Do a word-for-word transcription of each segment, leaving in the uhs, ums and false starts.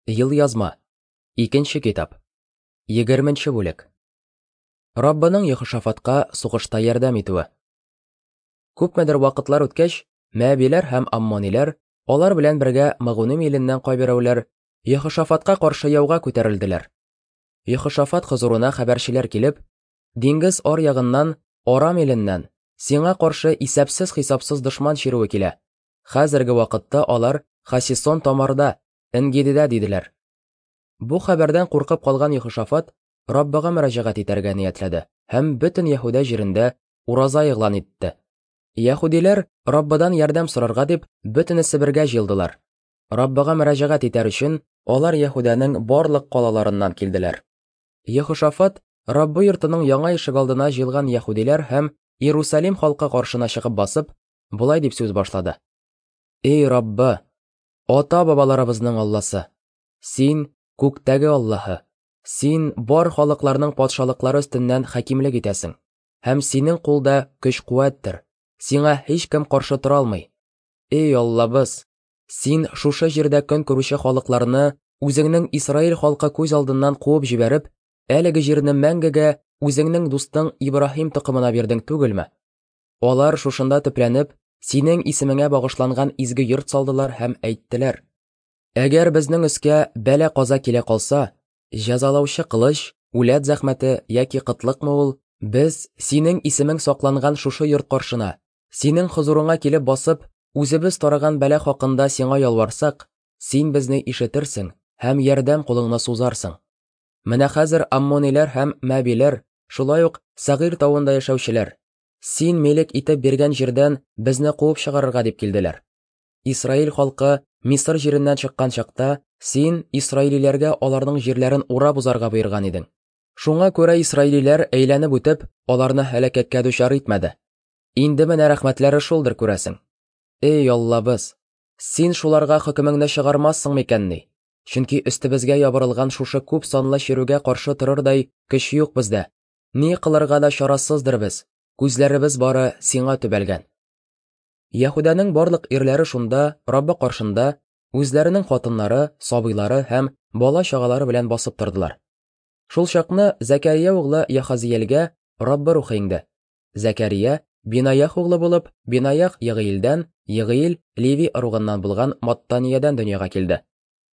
Елъязма. Икенче китап. Егерменче бүлек. Раббының Йехошафатка сугышта ярдәм итүе. Күпмедер вакытлар үткәч, Мәәбиләр һәм Аммониләр, алар белән бергә Мәгуним иленнән кайберәүләр Йехошафатка каршы яуга күтәрелделәр. Йехошафат хозурына хәбәрчеләр килеп, диңгез аръягыннан, Арам иленнән, сиңа каршы исәпсез-хисапсыз дошман чирүе килә. Хәзерге вакытта алар Хасисон Тамарда, Энгедидә, диделәр. Бу хәбәрдән куркып калган Йехошафат Раббыга мөрәҗәгать итәргә ниятләде һәм бөтен Яһүдә җирендә ураза игълан итте. Яһүдиләр Раббыдан ярдәм сорарга дип бөтенесе бергә җыелдылар. Раббыга мөрәҗәгать итәр өчен алар Яһүдәнең барлык калаларыннан килделәр. Йехошафат Раббы йортының яңа ишегалдына җыелган яһүдиләр һәм Иерусалим халкы каршына чыгып басып, болай дип сүз башлады: Эй Раббы, ата-бабаларыбызның Алласы, син күктәге Аллаһы, син бар халыкларның патшалыклары өстеннән хакимлек итәсең, һәм синең кулда көч-куәттер, сиңа һичкем каршы тора алмый. Эй Аллабыз, син шушы җирдә көн күрүче халыкларны үзеңнең Исраил халкы күз алдыннан куып җибәреп, әлеге җирне мәңгегә үзеңнең дустың Ибраһим токымына бирдең түгелме? Алар шушында төпләнеп, синең исемеңә багышланган изге йорт салдылар һәм әйттеләр: Әгәр безнең өскә бәла-каза килә калса, җәзалаучы кылыч, үләт зәхмәте яки кытлыкмы ул, без синең исемең сакланган шушы йорт каршына, синең хозурыңа килеп басып, үзебез тарыган бәла хакында сиңа ялварсак, син безне ишетерсең һәм ярдәм кулыңны сузарсың. Менә хәзер Аммониләр һәм Мәбиләр, шулай ук Сәгыйр тавында яшәүчеләр, син милек итеп биргән җирдән безне куып чыгарырга дип килделәр. Исраил халкы Мисыр җиреннән чыккан чакта, син исраилиләргә аларның җирләрен урап узарга боерган идең. Шуңа күрә исраилиләр әйләнеп үтеп, аларны һәлакәткә дучар итмәде. Инде менә рәхмәтләре шулдыр, күрәсең. Эй Аллабыз, син шуларга хөкемеңне чыгармассың микәнни? Чөнки өстебезгә ябырылган шушы күп санлы чирүгә каршы торырдай көч юк бездә. Ни кылырга да чарасыздыр без. Күзләребез бары сиңа төбәлгән. Яһүдәнең барлык ирләре шунда Раббы каршында үзләренең хатыннары, сабыйлары һәм бала-чагалары белән басып тордылар. Шул чакны Зәкәрия углы Яхазиэлгә Раббы рухы иңде. Зәкәрия Бинаях углы булып, Бинаях Егыилдән, Егыил Леви ыругыннан булган Маттаниядән дөньяга килде.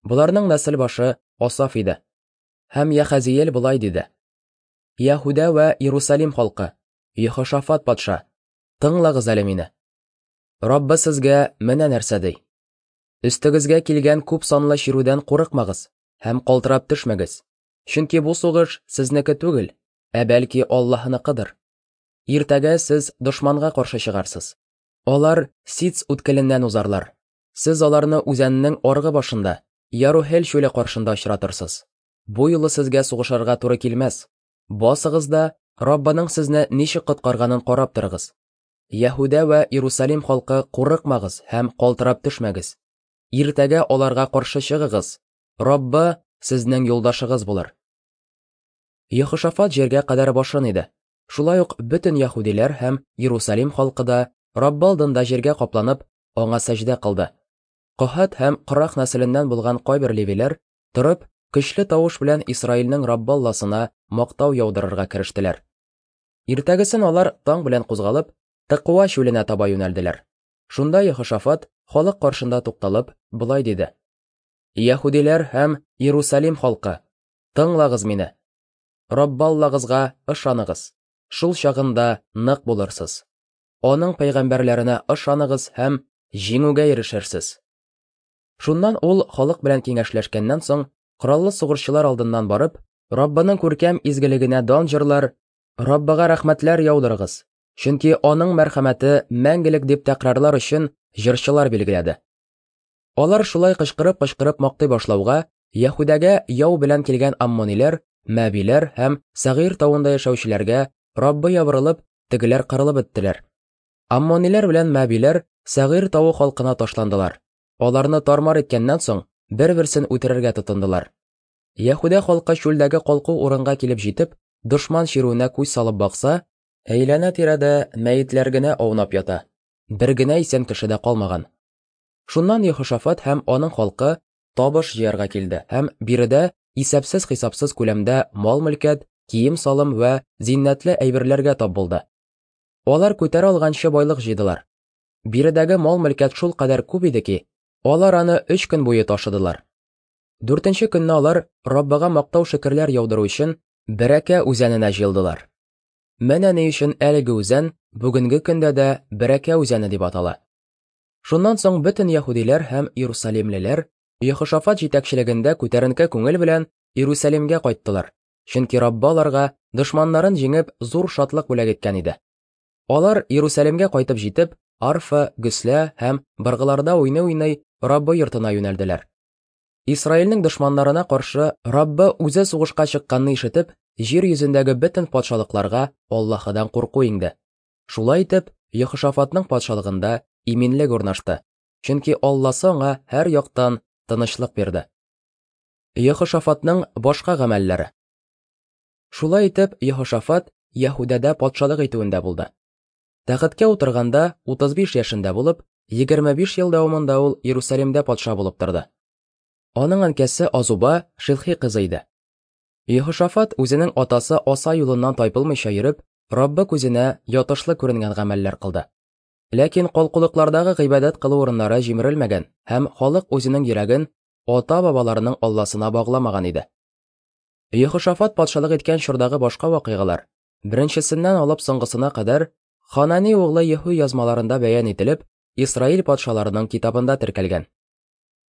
Боларның нәсел башы Асаф иде. Һәм Яхазиэл болай диде: Яһүдә вә Иерусалим халкы, Йехошафат патша, тыңлагыз әле мине. Раббы сезгә менә нәрсә ди: Өстегезгә килгән күп санлы чирүдән курыкмагыз һәм калтырап төшмәгез, чөнки бу сугыш сезнеке түгел, ә бәлки Аллаһыныкыдыр. Иртәгә сез дошманга каршы чыгарсыз. Алар Сиц үткеленнән узарлар. Сез аларны үзәннең аргы башында, Ярухел чүле каршында очратырсыз. Бу юлы сезгә сугышырга туры килмәс. Басыгыз да Раббының сезне ничек коткарганын карап торыгыз. Яһүдә вә Иерусалим халкы, курыкмагыз һәм калтырап төшмәгез. Иртәгә аларга каршы чыгыгыз. Раббы сезнең юлдашыгыз булыр. Йехошафат җиргә кадәр башын иде. Шулай ук бөтен яһүдиләр һәм Иерусалим халкы да Раббы алдында җиргә капланып, аңа сәҗдә кылды. Коһат һәм Корах нәселеннән булган кайбер левиләр торып, көчле тавыш белән Исраилнең Раббы Алласына мактау яудырырга керештеләр. Иртәгесен алар таң белән кузгалып, Тыкуа чүленә таба юнәлделәр. Шунда Йехошафат халык каршында тукталып, болай диде: Яһүдиләр һәм Иерусалим халкы, тыңлагыз мине. Раббы Аллагызга ышаныгыз, шул чагында нык булырсыз. Аның пәйгамбәрләренә ышаныгыз һәм җиңүгә ирешерсез. Шуннан ул халык белән киңәшләшкәннән соң, кораллы сугышчылар алдыннан барып, Раббының күркәм изгелегенә дан җырлар, Раббыга рәхмәтләр яудырыгыз, чөнки аның мәрхәмәте мәңгелек дип тәкрарлар өчен җырчылар билгеләде. Алар шулай кычкырып-кычкырып мактый башлауга, Яһүдәгә яу белән килгән аммониләр, Мәбиләр һәм Сәгыйр тавында яшәүчеләргә Раббы ябырылып, тегеләр кырылып беттеләр. Аммониләр белән Мәбиләр Сәгыйр тавы халкына ташландылар. Аларны тармар иткәннән соң, бер-берсен үтерергә тотындылар. Яһүдә халкы чүлдәге калку урынга килеп җитеп, дошман чирүенә күз салып бакса, әйләнә-тирәдә мәетләр генә аунап ята. Бер генә исән кеше дә калмаган. Шуннан Йехошафат һәм аның халкы табыш җыярга килде һәм биредә исәпсез-хисапсыз күләмдә мал-мөлкәт, кием-салым вә зиннәтле әйберләргә тап булды. Алар күтәрә алганчы байлык җыйдылар. Биредәге мал-мөлкәт шул кадәр күп иде ки, алар аны өч көн буе ташыдылар. Дүртенче көнне алар Раббыга мактау-шөкерләр яудыру өчен Бәрәкә үзәненә җыелдылар. Менә ни өчен әлеге үзән бүгенге көндә дә Бәрәкә үзәне дип атала. Шуннан соң бөтен яһүдиләр һәм иерусалимлеләр Йехошафат җитәкчелегендә күтәренке күңел белән Иерусалимгә кайттылар, чөнки Раббы аларга дошманнарын җиңеп зур шатлык бүләк иткән иде. Алар Иерусалимгә кайтып җитеп, арфа, гөслә һәм быргыларда уйный-уйный Раббы йортына юнәлделәр. Исраилнең дошманнарына каршы Раббы үзе сугышка чыкканны ишетеп, җир йөзендәге бөтен патшалыкларга Аллаһыдан курку иңде. Шулай итеп, Йехошафатның патшалыгында иминлек урнашты, чөнки Алласы аңа һәр яктан тынычлык бирде. Йехошафатның башка гамәлләре. Шулай итеп, Йехошафат Яһүдәдә патшалык итүендә булды. Тәхеткә утырганда утыз биш яшендә булып, егерме биш ел дәвамында ул Иерусалимдә патша булып торды. Аның әнкәсе Азуба Шилхи кызы иде. Йехошафат үзенең атасы Аса юлыннан тайпылмыйча йөреп, Раббы күзенә ятышлы күренгән гамәлләр кылды. Ләкин калкулыклардагы гыйбадәт кылу урыннары җимерелмәгән һәм халык үзенең йөрәген ата-бабаларының Алласына багламаган иде. Йехошафат патшалык иткән чордагы башка вакыйгалар, беренчесеннән алып соңгысына кадәр, Ханани углы Еху язмаларында бәян ителеп, Исраил патшаларының китабында теркәлгән.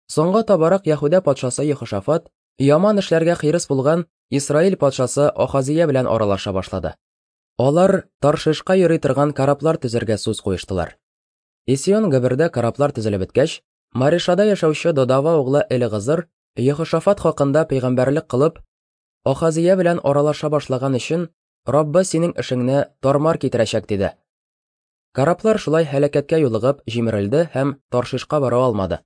Соңга табарак Яһүдә патшасы Йехошафат яман эшләргә хирыс булган Исраил патшасы Ахазия белән аралаша башлады. Алар Таршишка йөри торган кораблар төзергә сүз куештылар. Исион Габердә кораблар төзелеп беткәч, Маришада яшәүче Додава углы Элегазыр Йехошафат хакында пәйгамбәрлек кылып, Ахазия белән аралаша башлаган өчен Раббы синең эшеңне тармар китерәчәк диде. Кораблар шулай һәлакәткә юлыгып җимерелде һәм Таршишка бара алмады.